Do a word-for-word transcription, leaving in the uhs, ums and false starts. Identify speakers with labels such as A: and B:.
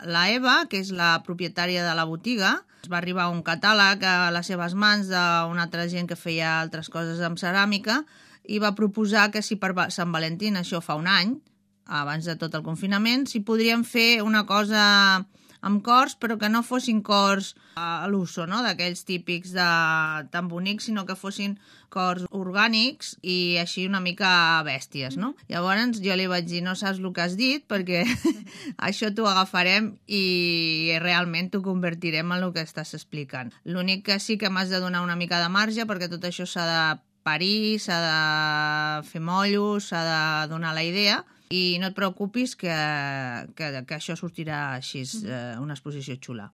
A: la Eva, que és la propietària de la botiga, es va arribar un catàleg a les seves mans d'una altra gent que feia altres coses amb ceràmica i va proposar que si per Sant Valentín, això fa un any, abans de tot el confinament, si podríem fer una cosa amb cors, però que no fossin cors a l'uso, no? D'aquells típics de, tan bonics, sinó que fossin cors orgànics i així una mica bèsties, no? Llavors jo li vaig dir, no saps el que has dit, perquè això t'ho agafarem i realment t'ho convertirem en el que estàs explicant. L'únic que sí que m'has de donar una mica de marge, perquè tot això s'ha de parir, s'ha de fer mollos, s'ha de donar la idea, i no et preocupis que, que, que això sortirà així, eh, una exposició xula.